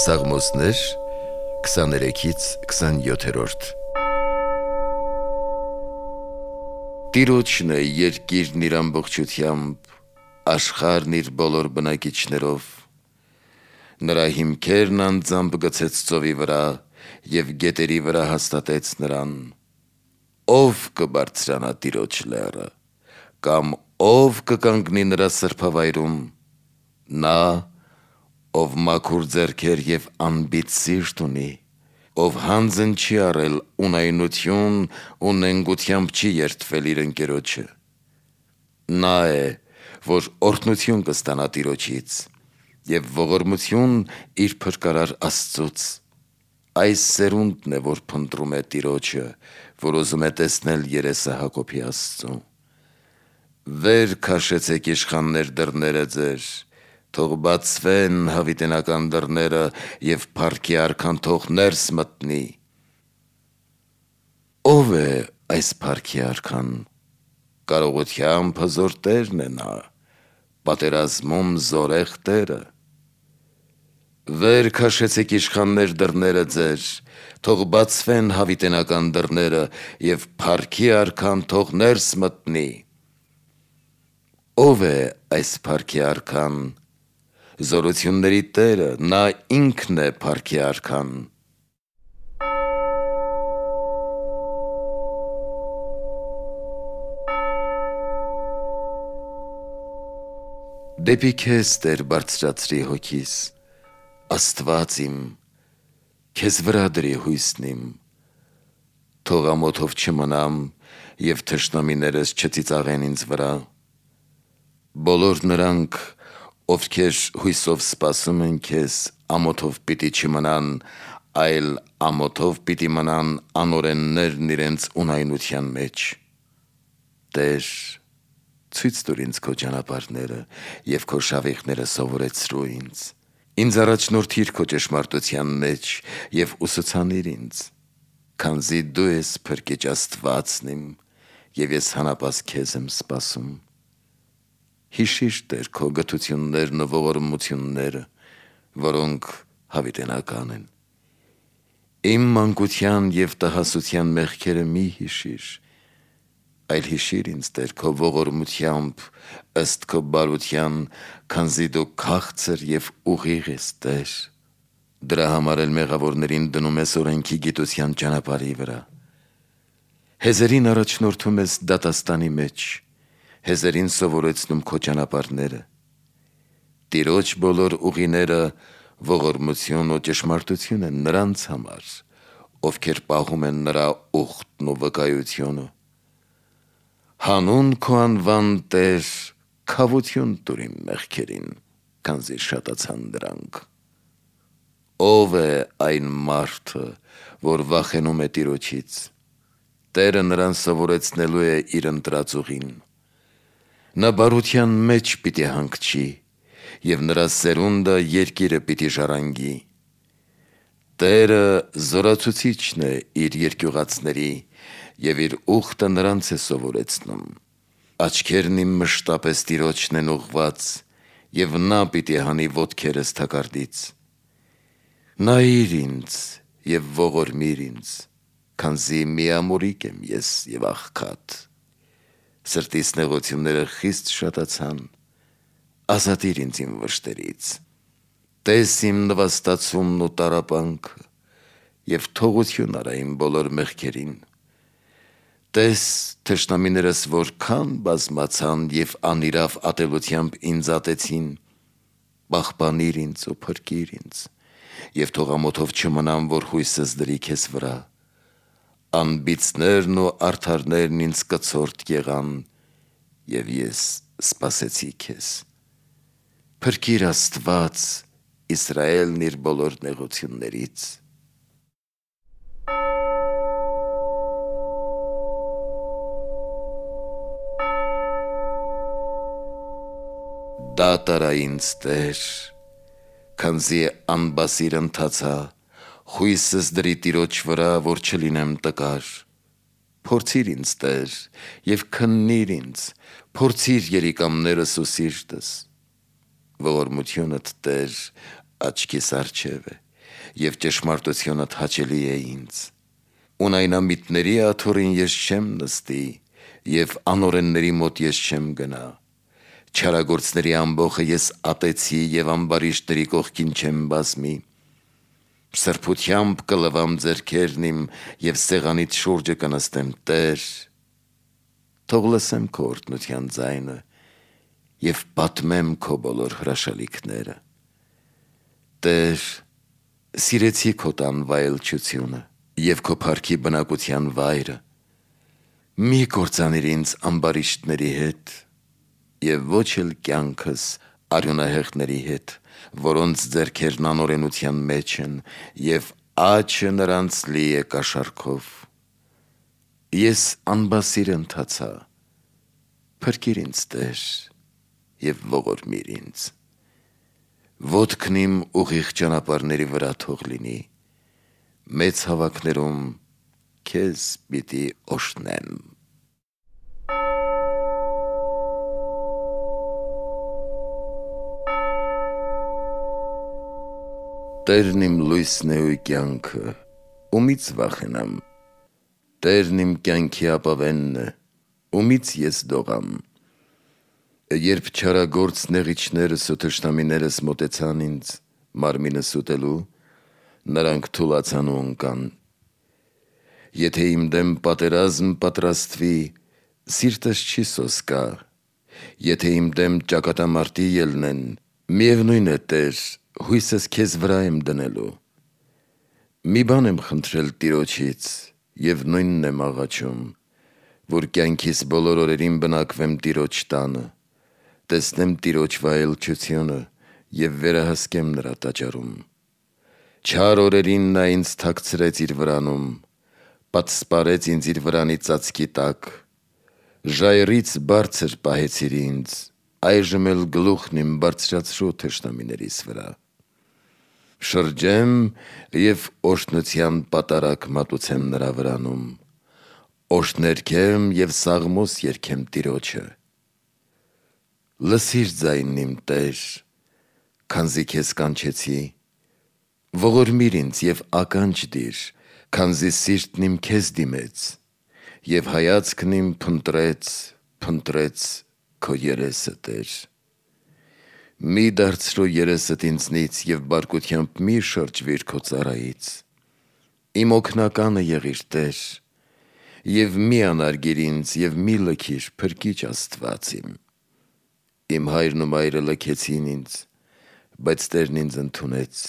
Սաղմոսներ 23-ից 27-րդ Տիրոջն է երկիրն իր ամբողջությամբ, աշխարհն իր բոլոր բնակիչներով, նրա հիմքերն անձամբ գցեց ծովի վրա և գետերի վրա հաստատեց նրան, ով կբարձրանա Տիրոջ լեռը, կամ ով կկանգնի նրա սրբավայրում, նա, ով մաքուր ձեռքեր և անբիծ սիրտ ունի, ով հանձն չի առել ունայնություն ու նենգությամբ չի երդվել իր ընկերոջը, նա է, որ օրհնություն կստանա Տիրոջից և ողորմություն իր փրկարար Աստծուց, այս սերունդն է, որ փնտրում է Տիրոջը, որ ուզում է տեսնել երեսը Հակոբի Աստծու, վեր քաշեցեք իշխաններ դռները ձեր, թող բացվեն հավիտենական դռները և փառքի արքան թող ներս մտնի, ով է այս փառքի արքան, կարողությամբ հզոր Տերն է նա, պատերազմում զորեղ Տերը, վեր քաշեցեք իշխաններ դռները ձեր, թող բացվեն հավիտենական դռները և փառքի արքան թող ներս մտնի, ով է այս փառքի արքան, զորությունների Տերը, նա ինքն է փառքի արքան, դեպի քեզ Տեր բարձրացրի հոգիս, Աստված իմ, քեզ վրա դրի հույսն իմ, թող ամոթով չմնամ և թշնամիներս չծիծաղեն ինձ վրա, բոլոր նրանք, ովքեր հույսով սպասում են քեզ, ամոթով պիտի չմնան, այլ ամոթով պիտի մնան անօրեններն իրենց ունայնության մեջ, Տեր, ցույց տուր ինձ քո ճանապարհները և քո շավիղները սովորեցրու ինձ առաջնորդիր քո ճշմարտության մեջ և ուսուցանիր ինձ, քանզի դու ես փրկիչ Աստվածն իմ և ես հանապազ քեզ եմ սպասում, հիշիր Տեր քո գթություններն ու ողորմությունները, որոնք հավիտենական են, իմ մանկության և տհասության մեղքերը մի հիշիր, այլ հիշիր ինձ Տեր քո ողորմությամբ ըստ քո բարության, քանզի դու քաղցր և ուղիղ ես Տեր, դրա համար էլ մեղավորներին դնում ես օրենքի գիտության ճանապարհի վրա, հեզերին առաջնորդում ես դատաստանի մեջ, հեզերին սովորեցնում քո ճանապարհները, Տիրոջ բոլոր ուղիները ողորմություն ու ճշմարտություն են նրանց համար, ովքեր պահում են նրա ուխտն ու վկայությունը, հանուն քո անվան Տեր, քավություն տուր իմ մեղքերին, քանզի շատացան դրանք, ով է այն մարդը, որ վախենում է Տիրոջից, Տերը նրան սովորեցնելու է իր ընտրած ուղին, նա բարության մեջ պիտի հանգչի և նրա սերունդը երկիրը պիտի ժառանգի, Տերը զորացուցիչն է իր երկյուղածների և իր ուխտը նրանց է սովորեցնում, աչքերն իմ մշտապես Տիրոջն են ուղղված և նա պիտի հանի ոտքերս թակարդից, նայիր ինձ և ողորմիր ինձ, քանզի միամորիկ եմ ես և աղքատ, սրտիս նեղությունները խիստ շատացան, ազատիր ինձ իմ վշտերից, տես իմ նվաստացումն ու տառապանքը և թողություն արա իմ բոլոր մեղքերին, տես թշնամիներս որքան բազմացան և անիրավ ատելությամբ ինձ ատեցին, պահպանիր ինձ ու փրկիր ինձ և թող ամոթով չմնամ, որ հույսս դրի քեզ վրա, անբիծներն ու արդարներն ինձ կցորդ եղան և ես սպասեցի քեզ, փրկիր Աստված Իսրայելն իր բոլոր նեղություններից, դատ արա ինձ Տեր, քանզի անբասիր ընթացա, հույսս դրի Տիրոջ վրա, որ չլինեմ տկար, փորձիր ինձ Տեր և քննիր ինձ, փորձիր երիկամներս ու սիրտս, ողորմությունդ Տեր աչքիս առջև է, եւ ճշմարտությունը հաճելի է ինձ։ Ունայնամիտների աթոռին ես չեմ նստի, եւ անօրենների մոտ ես չեմ գնա։ Չարագործների ամբոխը ես ատեցի եւ ամբարիշտների կողքին չեմ բազմի։ Սրբությամբ կլվամ ձեռքերն իմ եւ սեղանիդ շուրջը կնստեմ, Տեր։ Թող լսեմ քո օրհնության ձայնը եւ պատմեմ քո բոլոր հրաշալիքները։ Տեր, սիրեցի քո տան վայելչությունը եւ քո փառքի բնակության վայրը։ Մի կործանիր ինձ ամբարիշտների հետ եւ ոչ էլ կյանքս արյունահեղների հետ, որոնց ձեռքերն անօրենության մեջ են եւ աչը նրանց լի է կաշառքով։ Ես անբասիր ընթացա, փրկիր ինձ, Տեր, եւ ողորմիր ինձ։ Ոտքն իմ ուղիղ ճանապարհների վրա թող լինի, մեծ հավաքներում քեզ պիտի օրհնեմ։ Տերն իմ լույսն է ու կյանքը, ումից վախենամ։ Տերն իմ կյանքի ապավենն է, ումից ես դողամ։ Երբ չարագործ նեղիչներս ու թշնամիներս մոտեցան ինձ, մարմինս ուտելու, նրանք թուլացան ու ընկան։ Եթե իմ դեմ պատերազմ պատրաստվի, սիրտս չի սոսկա։ Եթե իմ դեմ ճակատամարտի ելնեն, միևնույն է, Տեր, հույսս քեզ վրա եմ դնելու։ Մի բան եմ խնդրել Տիրոջից եւ նույնն եմ աղաչում, որ կյանքիս բոլոր օրերին բնակվեմ Տիրոջ տանը, տեսնեմ Տիրոջ վայելչությունը եւ վերահսկեմ նրա տաճարում։ Չար օրերին նա ինձ թաքցրեց իր վրանում, պատսպարեց ինձ իր վրանի ծածկի տակ։ Ժայռից բարձր պահեցիր ինձ, այժմ էլ գլուխն իմ բարձրացրու թշնամիներիս վրա։ Շրջեմ եւ օրհնության պատարակ մատուցեմ նրա վրանում, օրհներգեմ եւ սաղմոս երգեմ Տիրոջը։ Լսիր ձայնն իմ, Տեր, քանզի քեզ կանչեցի, ողորմիր ինձ եւ ականջ դիր, քանզի սիրտն իմ քեզ դիմեց, եւ հայացքն իմ փնտրեց քո երեսը, Տեր։ Մի դարձրու երեսդ ինձնից եւ բարկությամբ մի շրջվիր քո ծառայից։ Իմ օգնականը եղիր, Տեր, եւ մի անարգիր ինձ եւ մի լքիր, փրկիչ Աստված իմ։ Իմ հայրն ու մայրը լքեցին ինձ, բայց Տերն ինձ ընդունեց։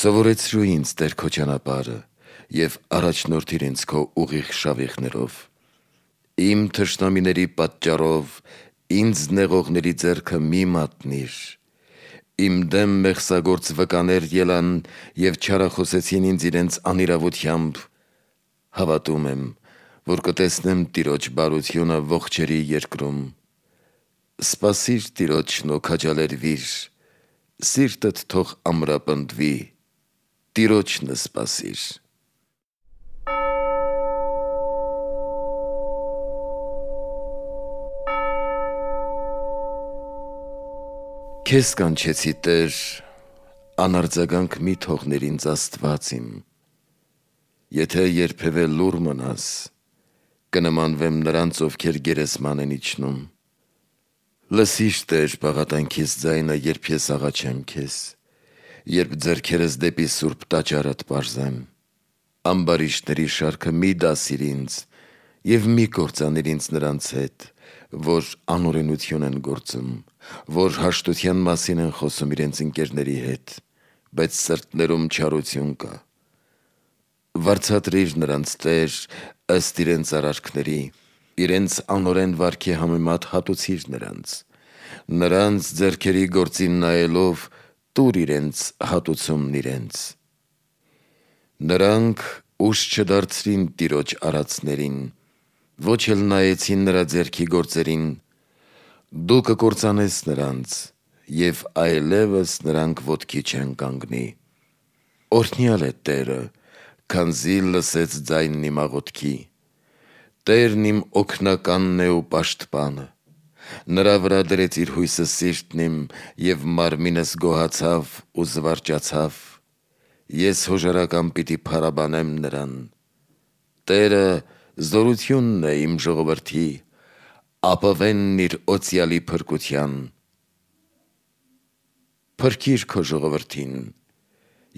Սովորեցրու ինձ, Տեր, քո ճանապարհը եւ առաջնորդիր ինձ քո ուղիղ շավիղներով։ Իմ թշնամիների պատճառով ինձ նեղողների ձեռքը մի մատնիր։ Իմ դեմ մեղսագործ վկաներ ելան եւ չարախոսեցին ինձ իրենց անիրավությամբ։ Հավատում եմ, որ կտեսնեմ Տիրոջ բարությունը ողջերի երկրում։ Սպասիր Տիրոջն ու քաջալերվիր, սիրտդ թող ամրապնդվի, Տիրոջն սպասիր։ Քեզ կանչեցի, Տեր, անարձագանք մի թողնիր ինձ, Աստված իմ։ Եթե երբևէ լուռ մնաս, կնմանվեմ նրանց, ովքեր գերեզման են իջնում։ Լսիր, Տեր, բաղատանքիս ձայնը, երբ ես աղաչեմ քեզ, երբ ձեռքերս դեպի սուրբ տաճարդ պարզեմ։ Ամբարիշտների շարքը մի դասիր ինձ եւ մի կործանիր ինձ նրանց հետ, որ անօրենություն են գործում, որ հաշտության մասին են խոսում իրենց ընկերների հետ, բայց սրտներում չարություն կա։ Վարձատրիր նրանց, Տեր, ըստ իրենց արարքների, իրենց անօրեն վարքի համեմատ հատուցիր նրանց ձեռքերի գործին նայելով տուր իրենց հատուցումն իրենց։ Նրանք ուշ չդարձրին Տիրոջ արածներին, ոչ էլ նայեցին նրա ձեռքի գործերին։ Դու կկործանես նրանց, եւ այլևս նրանք ոտքի չեն կանգնի։ Օրհնյալ է Տերը, քանզի լսեց ձայնն իմ աղոթքի։ Տերն իմ օգնականն է ու պաշտպանը։ Նրա վրա դրեց իր հույսը սիրտն իմ, եւ մարմինս գոհացավ ու զվարճացավ։ ես հոժարական պիտի փարաբանեմ նրան։ Տերը զորությունն է իմ ժողովրդի, ապավենն իր օծյալի փրկության։ Փրկիր քո ժողովրդին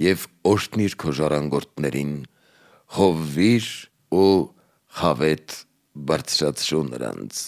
և օրհնիր քո ժառանգորդներին, խովվիր ու խավետ բարձրացրու նրանց։